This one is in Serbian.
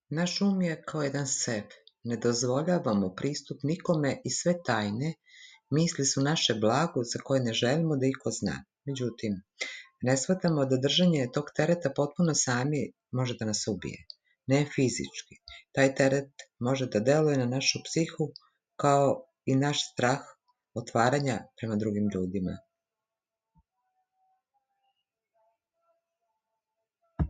Naš um je kao jedan sef. Ne dozvoljavamo pristup nikome i sve tajne misli su naše blago za koje ne želimo da iko zna. Međutim, ne shvatamo da držanje tog tereta potpuno sami može da nas ubije. Ne fizički. Taj teret može da deluje na našu psihu kao i naš strah otvaranja prema drugim ljudima.